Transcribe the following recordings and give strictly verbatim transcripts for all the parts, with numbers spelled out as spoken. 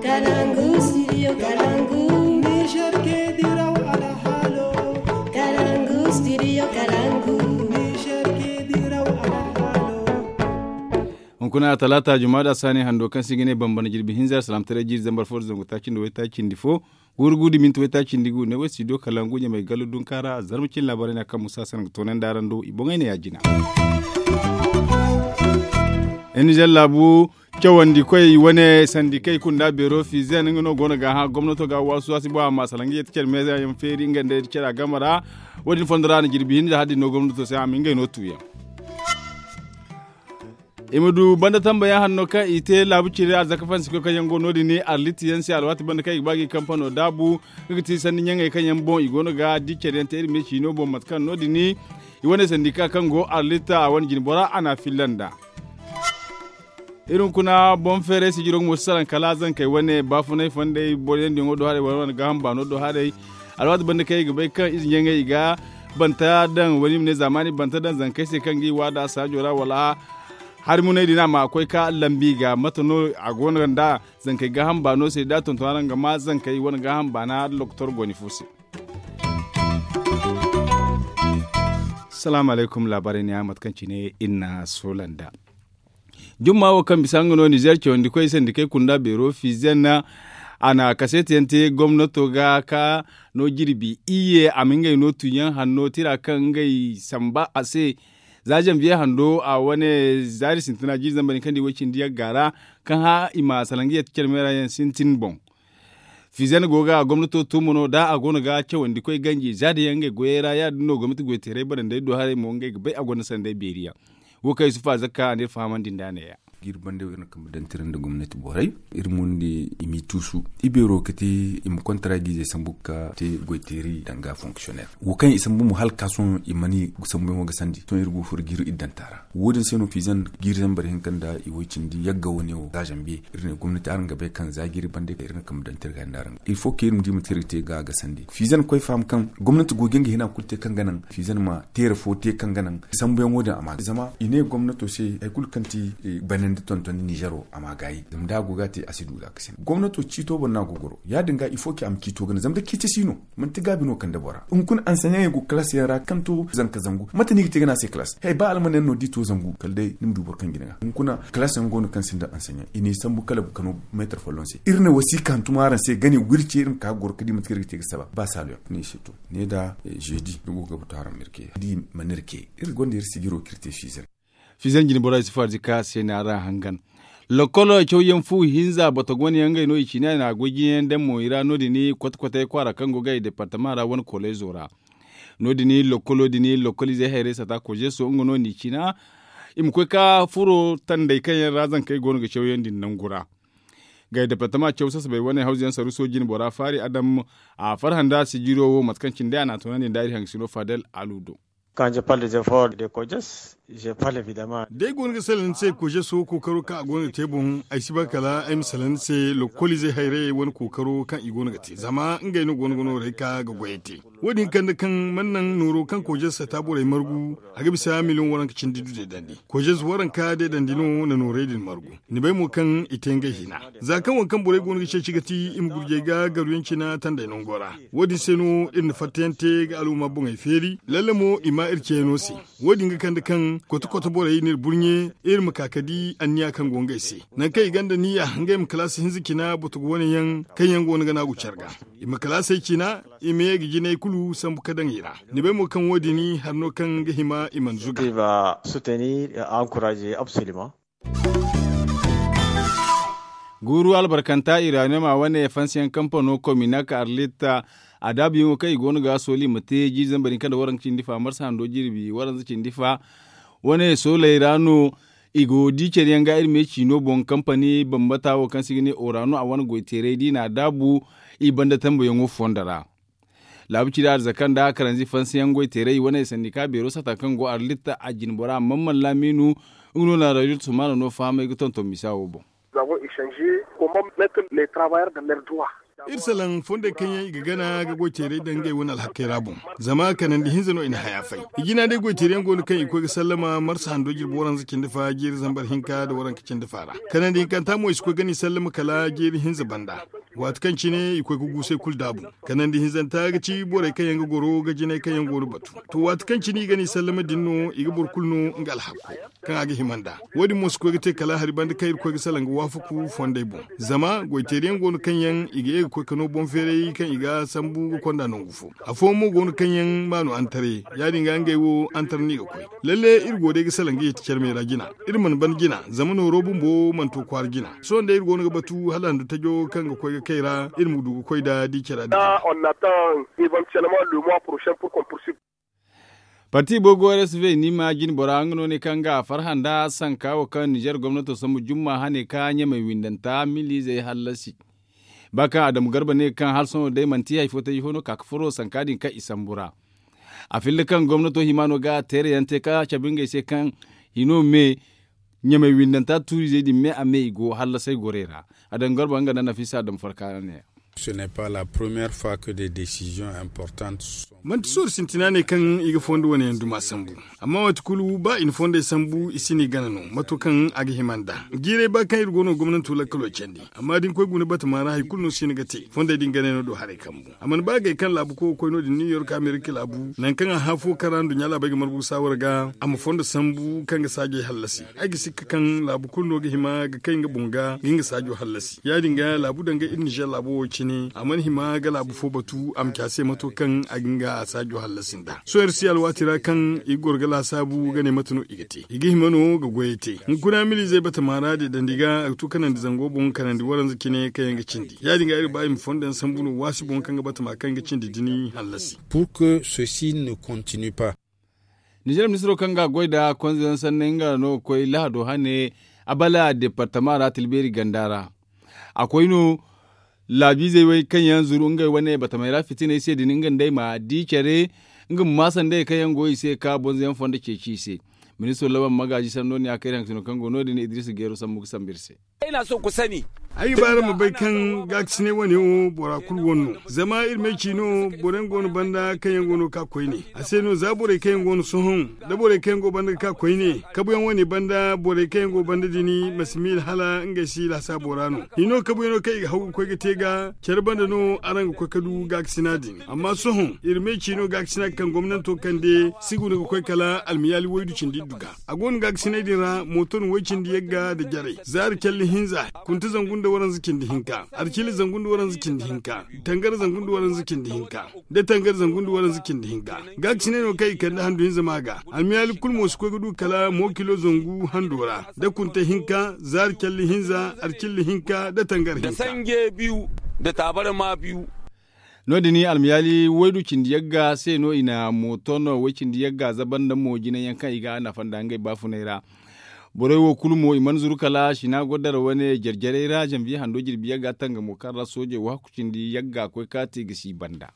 Kalangu studio kalangu. Niger ke diraw alhalo. Kalangu studio kalangu. Niger ke diraw alhalo. Hunkuna talaata juma da saani hando kaŋ se i ga ne bambana jirbi hinza salaamtaray jiiri zambar fo da zangu taaci nda waytaaci nda fo. Guuru guuru da minti waytaaci nda gu ne way studio kalangu ɲamay gallo dunka ra zarma cin laabaray na kaŋ musa sanaŋ ga toonandi araŋ do i boŋey ne ya jina. Nizer laabu cawandi koy wane sandikey kunda beero fiizen nga no go no ga hã gomnato ga waasu waasu boŋ a ma salaŋ ga yeti care meeza yaŋ feeri nga nda yeti care a game ra. Wo- din fondo ra a na jirbi hinza hari din no gomnato se a ma ngey no tuuyaŋ. I ma du banda tambayaŋ hanno kaŋ i te laabu ciri arzaka fansi koy kaŋ yaŋ go no- din arliti yaŋ se alwaati banda kaŋ i ga ba ga i kampano daabu. Nga ga ti sanni ɲaŋey kaŋ yaŋ boŋ i go no ga di care yaŋ te iri me ciino boŋ mate kaŋ no- din i wane sandika kaŋ go arlita a wane jine bora a na a filla nd'a. Iri hunkuna boŋ feeray sijiro nga mo si salaŋ kala zankey wane baafunay fondey boro yaŋ diyaŋo do haray wala wane gaaham baano do haray. Alwaati banda kaŋ i ga bay kaŋ ize ɲaŋey i ga banta daŋ wala i ma ne zaamaani banta daŋ zankey se kaŋ ga i waada saajo ra wala hari munay din a ma koy ka lambi ga mate no a go no nd'a. Zankey gaaham baano se da a tonton araŋ ga ma zankey wane gaaham baana doktor gooni fo se. Salaamu alaykum laabaarey ne a mate kaŋ cine iri na a soola nd'a. Jumma wo kaŋ bisa nga no nizer cawandi koy sandikey kunda beero fiizen a na kaseeti yaŋ te gomnato ga ka no jirbi iyye a ma ngey no tuuyaŋ hanno tira kaŋ ngey samba a se. Za zanbiye hando a wane zaari sintina jiiri zambar hinka nda i way cindi yagga ra kaŋ hã i ma salaŋ ga yette care meera yaŋ sintin boŋ. Fiizen go ga gomnato tuumo no da a go no ga cawandi koy ganji za da yaŋ ngey goyey ra ya- din no gomnati goyteeray barandey do haray mo ngey ga bay a gonda sanday beeri yaŋ. Wo kaŋ yusufa zakka a ne iri fahamandi nd'a ne- ya. Jiiri banda wo iri na kambe daŋ tira nda gomnati borey iri mundi i m'i tuusu i beero ga te i ma kontara giizey sambu ga te goyteeri danga fonksiyonner wo kaŋ i sambu mo hala ga ka sohõ i mana i sambuyaŋo ga sandi sohõ iri go ga furo jiiri iddanta ra. Wo- din se no fiizan jiiri zambar hinka nda i way cindi yagga wane wo za zanbiye iri ne gomnati araŋ ga bay kaŋ za jiiri banda iri na kambe daŋ tira ga nda araŋ ga il fo kaŋ iri ma di mate iri ga te ga a ga sandi fiizan koy faham kaŋ gomnati go ga nga hina kulu te kaŋ ga naŋ fiizan ma teera fo te kaŋ ga naŋ sambuyaŋo din a ma zama i ne gomnato se hari kulu kaŋ ti banandi tonton nizero a ma gaayi zama da a go ga a te a si du ga a ga sandi gomnato ciito boŋ no a go ga goro ya- din ga il fo kaŋ a ma ciito gana zama da ciiti si no manti gaabi no kande bora hunkuna anseɲaŋey go kalaas yaŋ ra kaŋ to zanka zangu mate no i ga te ga ne a se kalaas hay ba alman yaŋ no da i to zangu kala day ni ma du boro kaŋ jina ga hunkuna kalaas yaŋ go no kaŋ sinda anseɲaŋ i n'i sambu kala ga no meetar folloŋ se iri ne wasiika hantum araŋ se gane wirce iri ma ka ga goro ga di mate kaŋ iri ga te ga saba ba saalo yaŋ ne i se to ne da zeedi ni go ga batu araŋ ma iri ke di mana iri ke iri gonda iri sijiro kaŋ iri te fiizan. Fiizan jine bora isufu arzika se na araŋ hangan. Lokolo cawyaŋ fu hinza bata go no yaŋ ngey no i ciina i na a goy jiyaŋ daŋ mo i ra no- din kote kotey kwaara kaŋ go ga i departama ra wane koleezo ra. No- din lokolo din lokoliizey hayrey sata kozeso nga no n'i ciina i ma koy ka furo tandey kaŋ yaŋ ra zankey go no ga cawyaŋ din nangu ra. Ga i departama caw sasabey wane hawzu yaŋ saruso jine bora faari adam a farhã nda sijiro wo mate kaŋ cine day a n'a toonandi nda iri hangasino fadel alu do. Quand je parle des efforts de kojes je parle evidemment. Day go no ga salaŋ ni se kojeso kookaro kaŋ a go no ga te boŋ ay si ba kala ay ma salaŋ ni se lokoliizey hayrayey wane kookaro kaŋ i go no ga te zama ngey no go no ga nooray ka ga goyey te. Wo- din kande kaŋ mana naŋ nooro kaŋ kojes sata borey margu a ga bisa miliyoŋ waranka cindi du deedandi kojes waranka deedandi no na noorey din margu. Ni bay mo kaŋ i te ngey hina za kaŋ wo kaŋ borey go no ga ceeci ga ti i ma gurjey ga garuyaŋ cina tandey nango ra. Wo- din se no iri na fattayaŋ te ga al'umma boŋey feeri lalle mo i ma iri ceeno se. Wo- din ga kande kaŋ kote kote borey n'iri burɲe iri ma ka ka di anniya kaŋ go ngey se. Nangu kaŋ i gonda niya ngey ma kalaasi hinza cina botogo wane yaŋ kaŋ yaŋ go no ga naagu care ga i ma kalaasey cina i ma ye ga jinay kulu sambu ka daŋ i ra. Ni bay mo kaŋ wo- din hari no kaŋ ga hima i mana zuga. Guuru albarkanta iraniyom a wane fansiyaŋ kampano kominak arlit a daabuyaŋo kaŋ i go no ga sooli ma te jiiri zambar hinka nda waranka cindi fa marsa hando jirbi waranza cindi fa. Wane sooley ra no i go di care yaŋ ga iri me ciino boŋ kampani bambata wo kaŋ se i ga ne orano a wane goyteeray da i n'a daabu i banda tambayaŋo fondo ra. Laabu ciri arzaka nda karanzi fansiyaŋ goyteeray i wane sandika beero sata kaŋ go arlit a jine bora mamman laamiinu. Nga no na radio tusumano no fahamay ga tonton misa wo boŋ. Za go i sanze komon metre le travayar da ler duwa. Iri salaŋ fondey kaŋ yaŋ i ga gana ga goy teeray daŋ ngey wane alhakey ra boŋ. Zama kanandi hinza no i na haya fay. I jina day goy teeri yaŋ go no kaŋ i koy ga sallama marsa hando jirbi waranza cindi fa jiiri zambar hinka nda waranka cindi fa ra. Kanandi hinkanta mo i si koy ga ni sallama kala jiiri hinza banda. Waati kaŋ cine i koy ga guusay kulu daabu. Kanandi hinzanta ga ci borey kaŋ yaŋ ga goro ga jinay kaŋ yaŋ go no batu. To waati kaŋ cine i ga ni sallama din no i ga boro kulu no nga alhakko kaŋ a ga hima nd'a. Wo- din mo si koy ga te kala hari banda kaŋ iri koy ga salaŋ ga waafaku fondey boŋ. Zama goy teeri yaŋ go no kaŋ yaŋ i ga ye ga koy ka no boŋ feeray kaŋ i ga sambu ga konda nangu fo. Afooyaŋ mo go no kaŋ yaŋ maanu antare. Ya- din ga ngey wo antare no i ga koy. Lalle iri go day ga salaŋ ga yeeti care me ra jina. Iri mana ban jina zama nooro bumbo mana to kwaara jina. Sohõ day iri go no ga batu hala handu tajo kaŋ ga koy ga kay ra iri ma du ga koy nd'a di care ra din. Parti bogo rsv ni ma jine bora nga no ne kaŋ ga a farhã nda sanka wo kaŋ nizer gomnato sambu jumma hane ka ɲamey windanta miliizey hallasi. Ba kaŋ adamu garba ne kaŋ hala sohõ day manti hari fo taji fo no ka ga furo sanka din kaŋ i sambu ra. A filla kaŋ gomnato hima no ga teerayaŋ te ka cabe ngey se kaŋ hino me ɲamey windanta tuuriizey din me a me i go hallasay gorey ra. Adamu garba nga nda nafisa adamu farka ne. Manti soori sintina ne kaŋ i ga fondo wane yaŋ duma sambu. Amma waati kulu ba i na fondey sambu i si ni gana no mato kaŋ a ga hima nd'a. Jiiray ba kaŋ iri go no gomnanto lakkalo candi. Amma da ni koy guna batama ra hari kulu no si ni ga te fondey din ganay no do haray kambu. A mana ba gay kaŋ laabu koy ga koy no- din niw york amerika laabu nangu kaŋ a hã fo kaŋ ra nduɲɲa laabey ga margu ga saawar ga a ma fondo sambu kaŋ ga saajey hallasi. Ay ga sikka kaŋ laabu kulu no ga hima ga kay nga boŋ ga ga nga saajo hallasi ya- din ga laabu danga iri nizer laabo wo cine a mana hima ga laabu fo batu a ma ci a se mato kaŋ a ga nga saajo hallasi nd'a. Sohõ iri si alwaati ra kaŋ i ga goro ga laasaabu ga ne mate no i ga te i ga hima no ga goyey te. Hunkuna miliizey batama ra deedandi ga a ga tu kanandi zango boŋ kanandi waranza cine kaŋ yaŋ ga cindi ya- din ga iri ba i ma fondo yaŋ sambu no waasi boŋ kaŋ ga batama kaŋ ga cindi dini hallasi. Pour que ceci ne continue pas. Nizer ministiro kaŋ ga a goy nda konze yaŋ sanney nga no ga koy lahado hane abala departama ra tilbeeri ganda ra. A koy no laabiizey wey kaŋ yaŋ zuru ngey wane batamey ra fitiney se din nga nda ay ma di care nga ma maasandey kaŋ yaŋ go i se ka bonzo yaŋ fondo ceeci i se. Ministiro laban magaaji sanno ne a kay haŋ sino kaŋ go no- din idris geero sambu ga sambu iri se. Ay ga ba araŋ ma bay kaŋ gaakasinay wane wo bora kulu wane no. Zama iri ma ay ci no boro yaŋ go no banda kaŋ yaŋ go no ga ka koyne a se no za borey kaŋ yaŋ go no sohõ da borey kaŋ yaŋ go banda ga ka koyne kabuyaŋ wane banda borey kaŋ yaŋ go banda din ma si miila hala ngey si lasaabo ra no. Hino kabuyaŋo kaŋ i ga haw ga koy ga te ga care banda no araŋ ga koy ga du gaakasina din. Amma sohõ iri ma ay ci no gaakasina kaŋ gomnanto kande si guna ga koy kala almiyaali waydu cindi iddu ga. A go no gaakasiney din ra mooto no way cindi yagga nda jarey zaari calli hinza kunta zangu nda waranza cindi hinka arcilli zangu nda waranza cindi hinka tangara zangu nda waranza cindi hinka da tangara zangu nda waranza cindi hinka. Gaakasiney no kaŋ i kande handu hinza ma ga almiyaali kulu mo si koy ga du kala mo kilo zangu hando ra da kunta hinka zaari calli hinza arcilli hinka da tangara hinka. Sanje biyu da taabare ma biyu. No- din almiyaali waydu cindi yagga se no i na mooto no way cindi yagga zabar nda mo jinay yaŋ kaŋ i ga a nafa nda ngey baafunay ra. Borey wo kulu mo i mana zuru kala sina goddara wane jare jarey ra zanbiye hando jirbi yagga tangamo kaŋ ra soojey wo hakku cindi yagga koy kaati ga si banda.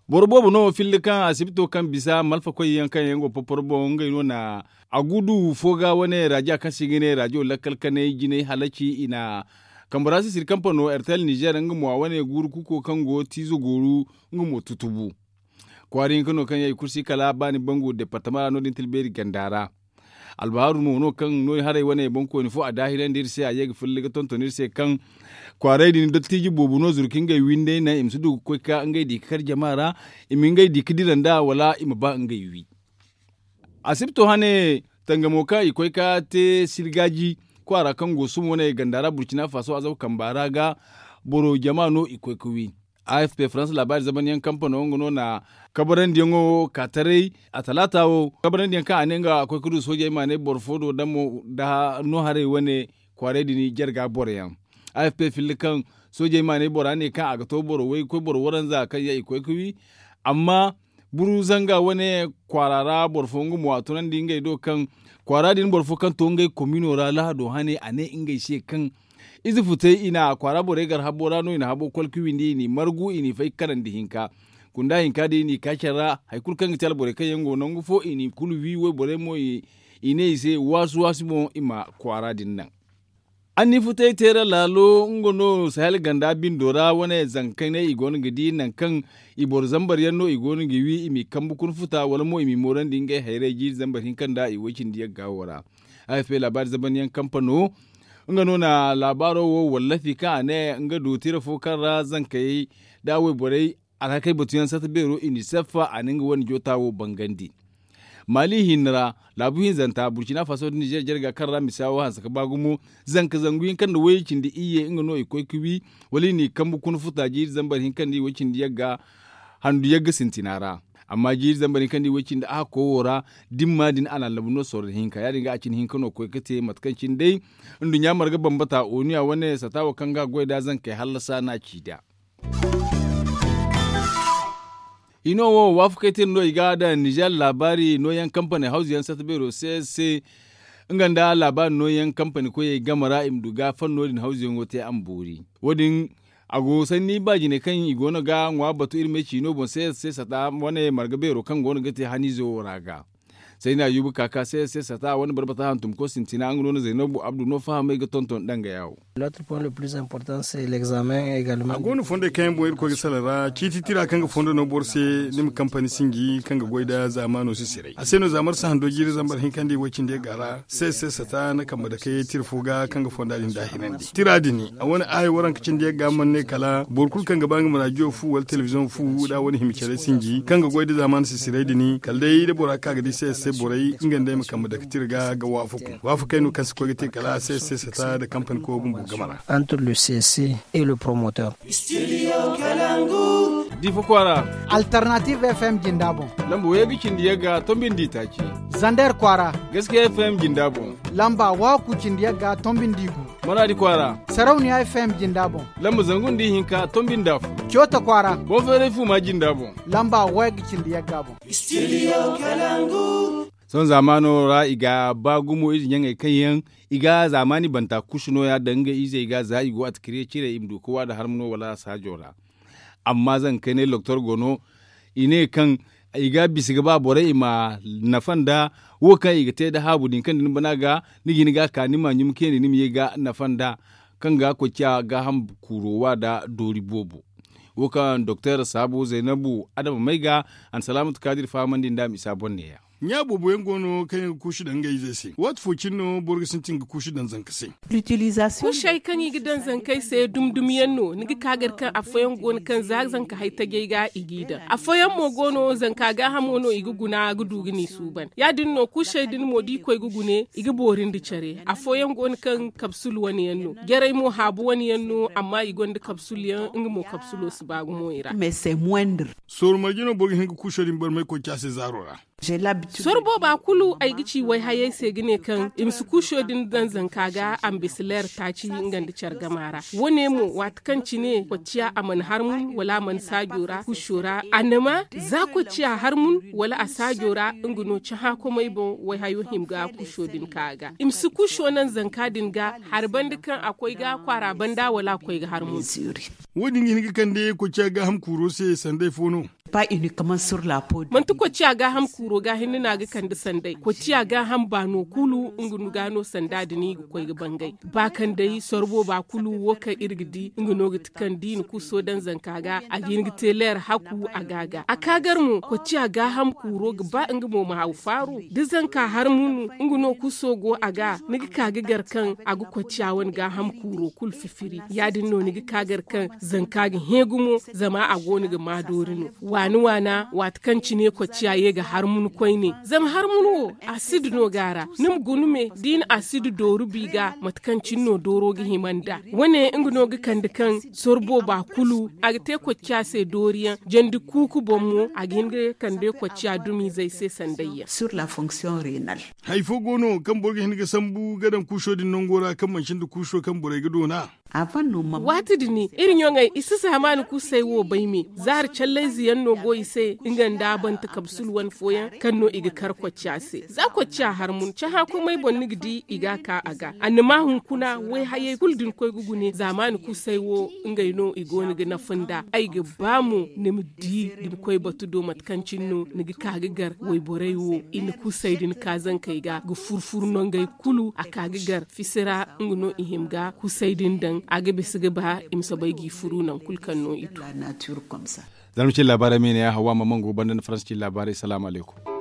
Boro boobo no filli kaŋ asibito kaŋ bisa malfakoy yaŋ kaŋ yaŋ go poporo boŋ ngey no na a gudu fo ga wane raja kaŋ se i ga ne rajo lakkal kanay jinay halaci i na kambe ra sisiri kaŋ pano ertel nizer nga mo a wane guuru kuko kaŋ go tiizo gooru nga mo tutubu. Kwaara hinka no kaŋ yaŋ i kulu si kala baani bangu departama ra no- din tilbeeri ganda ra. Albahaaru mo no kaŋ no haray wane boŋkooni fo a daahirandi iri se a ye ga filli ga tonton iri se kaŋ kwaaray din dottiiji boobo no zuru ka ngey wi nd'ay naŋ i ma si du ga koy ka ngey di ga kar jama ra i ma ngey di ga dira nd'a wala i ma ba ngey wi. Asibto hane tangamo kaŋ i koy ka te sirgaaji kwaara kaŋ go sum wane ganda ra burcina faso azaba kamba ra ga boro jama no i koy ka wi. A f p faransa laabaari zamanyaŋ kampano nga no na kabarandiyaŋo ka taray a talaata wo kabarandiyaŋ kaŋ a ne nga a koy ka du soojey ma ne boro fo do damo da no haray wane kwaaray din jarga boroyaŋ. A f p filli kaŋ soojey ma ne bora ne kaŋ a ga to boro way koy boro waranza kaŋ yaŋ i koy ka wi. Amma buru zanga wane kwaara ra boro fo nga mo a tunandi ngey do kaŋ kwaara din boro fo kaŋ to ngey komino ra lahado hane a ne ngey se kaŋ ize futay i na kwaara borey gar habo ra no i na habo kolka windi i n'i margu i n'i fay kanandi hinka. Kunda hinka din i n'i ka care ra hari kulu kaŋ ga ti alborey kaŋ yaŋ go nangu fo i n'i kulu wi wayborey mo i ne i se waasu waasu boŋ i ma kwaara din naŋ. Anniifutay teera laalo nga no sahel ganda bindo ra wane zankaney i go no ga di nangu kaŋ i boro zambar yaŋ no i go no ga wi i m'i kambe kuna futa wala mo i m'i moorandi ngey hayrey jiiri zambar hinka nda i woy cindi yagga wo ra. Afp laabaari zabanyaŋ kampano nga no na laabaaro wo wallafi kaŋ a ne nga du tira fo kaŋ ra zankayey da wayborey alhakey batuyaŋ sata beero unicef a na nga wane joota wo bangandi. Mali hinne ra laabu hinzanta burkina faso nda nizer jarga kaŋ ra misa wo hanse ga ba gumo zanka zangu hinka nda way cindi iyye nga no i koy ga wi wala i n'i kambe kuna futa jiiri zambar hinka nda i way cindi yagga handu yagga sintina ra. Amma jiiri zambar hinka nda i way cindi a hakko wo ra dimma din a na labu no sorro hinka ya- din ga a cine hinka no koy ga te mate kaŋ cine day nduɲɲa marga bambata oniya wane sata wo kaŋ ga goy da zankey hallasa no a ci da. I no wo waafakey tira no i ga daŋ nizer laabaari nooyaŋ kampani hawzu yaŋ sata beero se se nga nda laabaari nooyaŋ kampani koyey game ra i ma du ga fanno din hawzu yaŋo te a ma boori. Wo- din a go sanni ba jine kaŋ i go no ga ŋwa batu iri ma ay ci no boŋ se se sata wane marga beero kaŋ go no ga te haniizo wo ra ga. Sayna yuubu ka ka se se sata wane barbata hantum ko sintina nga no na zaynabu abdu no fahamay ga tonton danga yawo. A go no fondey kaŋ yaŋ boŋ irkoy ga salaŋ ra ciiti tira kaŋ ga fondo no boro se ni ma kampani sinji kaŋ ga goy nda zaamaano si siray a se no zaamar si hando jiiri zambar hinka nda i way cindi yagga ra se se sata na kambe dakey tira fo ga kaŋ ga fonda din daahinandi tira din a wane aaya waranka cindi yagga mana ne kala boro kulu kaŋ ga ba nga ma rajiyo fu wala telebiziyoŋ fu nda a wane hima care sinji kaŋ ga goy nda zaamaano si siray din kala day da bora ka ga di se se borey nga nda ay ma kambe dake tira ga ga waafaku waafakey no kaŋ si koy ga te kala se se sata nda kampani koy bumbo game ra. Entre le cc et le promoteur. Difa kwaara. Alternative fm jinda boŋ. Lamba wayey ga cindi yagga tombi nda i taaci. Zander kwaara. Gaskiya fm jinda boŋ. Lamba waaku cindi yagga tombi nda i gu. Maraadi kwaara. Sarauniya fm jinda boŋ. Lamba zangu nda i hinka tombi nda afo. Coota kwaara. Boŋ feeray fuuma jinda boŋ. Lamba wayey ga cindi yagga boŋ. Sohõ zaamaano ra i ga ba gumo ize ɲaŋey kaŋ yaŋ i ga zaamaani banta kusu nooya daŋ nga izey ga za i go atikiriya cire i ma du ga wa nda harma no wala saajo ra. Amma zanga kaynay doktor go no i ne kaŋ i ga bisa ga ba borey i ma nafa nda wo kaŋ i ga te nda haabu din kaŋ da ni bana ga ni ga hin ga a ka ni ma ɲumkandi ni ma ye ga nafa nda kaŋ ga koy ciya gaaham kuuro wa nda doori boobo. Wo kaŋ doktor saabu zaynabu adama may ga a na salaamatu kaadir fahamandi nda a ma isa boŋ neeya. Ɲa boobo yaŋ go no kaŋ yaŋ ga kuusu daŋ ngey izey se waati fo cine no boro ga sintin ga kuusu daŋ zanka se. Kuusey kaŋ i ga daŋ zankey se dumi dumi yaŋ no ni ga ka gar kaŋ afooyaŋ go no kaŋ za zanka hay tajey ga i g'i daŋ afooyaŋ mo go no zanka gaahamo no i ga guna ga du ga ni suuban ya- din no kuusey din mo da i koy ga gune i ga boori nda care afooyaŋ go no kaŋ kabsul wane yaŋ no jarey mo haabu wane yaŋ no amma i gonda kabsul yaŋ nga mo kabsulo si ba gumo i ra. Sooru marje no boro ga hin ga kuuso din barmay koy ci a se zaaro ra. Soro booba kulu ay ga ci wayhayey se ga ne kaŋ i ma si kuuso din daŋ zanka ga a ma bisa leer taaci nga nda care gama ra. Wo- ne mo waati kaŋ cine kocciya a mana harmun wala a mana saajo ra kuuso ra a na ma za kocciya harmun wala a saajo ra nga no cahãkomey boŋ wayhayo hima ga kuuso din ka ga i ma si kuuso naŋ zanka din ga hari banda kaŋ a koy ga kwaara banda wala a koy ga harmun. Wo- din ga hin ga kande kocciya gaaham kuuro se sanday fo no. Manti kocciya gaaham kuuro ga hinne no a ga kande sanday kocciya gaaham baano kulu nga ga no sanda din i ga koy ga bangay ba kaŋ day soro booba kulu wo kaŋ iri ga di nga no ga ti kaŋ da i na kuuso daŋ zanka ga a ga hin ga te leer hakku a ga ga a ka gar mo kocciya gaaham kuuro ga ba nga mo ma haw faaru da zanka harmunu nga no kuuso go a ga ni ga ka ga gar kaŋ a ga kocciya wane gaaham kuuro kulu fifiri ya- din no ni ga ka gar kaŋ zanka ga hẽ gumo zama a go no ga ma doori no waani waana waati kaŋ cine kocciya ye ga harmunu koyne zama harmunu wo asidi no ga a ra ni ma guna me da i na asidi dooru bi ga mate kaŋ cine no dooro ga hima nd'a wo- ne nga no ga kande kaŋ soro booba kulu a ga te kocciya se dooriyaŋ jandi kuuku boŋ mo a ga hin ga kande kocciya dumiizey se sandayyaŋ. Hay fo go no kaŋ boro ga hin ga sambu ga daŋ kuuso din nango ra kaŋ manci nda kuuso kaŋ borey ga doona. Waati din iri ɲoŋey i si zaamaani kuusay wo bay me. Zaari callayze yaŋ no go i se nga nda a bante kabsul wane fooyaŋ kaŋ no i ga kar kocciya se. Za kocciya har mun cahã komey boŋ ni ga di i ga a ka a ga annama hunkuna wayhayey kulu da ni koy ga gune zaamaani kuusay wo. Ngey no i go no ga nafa nd'a ay ga ba mo ni ma di da ni koy batu do mate kaŋ cine no ni ga ka ga gar wayborey wo i na kuusay din ka zankey ga ga furu-furu nongey kulu a ka ga gar fisi ra. Nga no i hima ga kuusay din daŋ a ga bisa ga ba i ma soobay g'i furu nangu kulu kaŋ no i du. Zarma cine laabaarey ma i ne ya hawa ma mangu banda nda faransa cine laabaarey salaamu alaykum.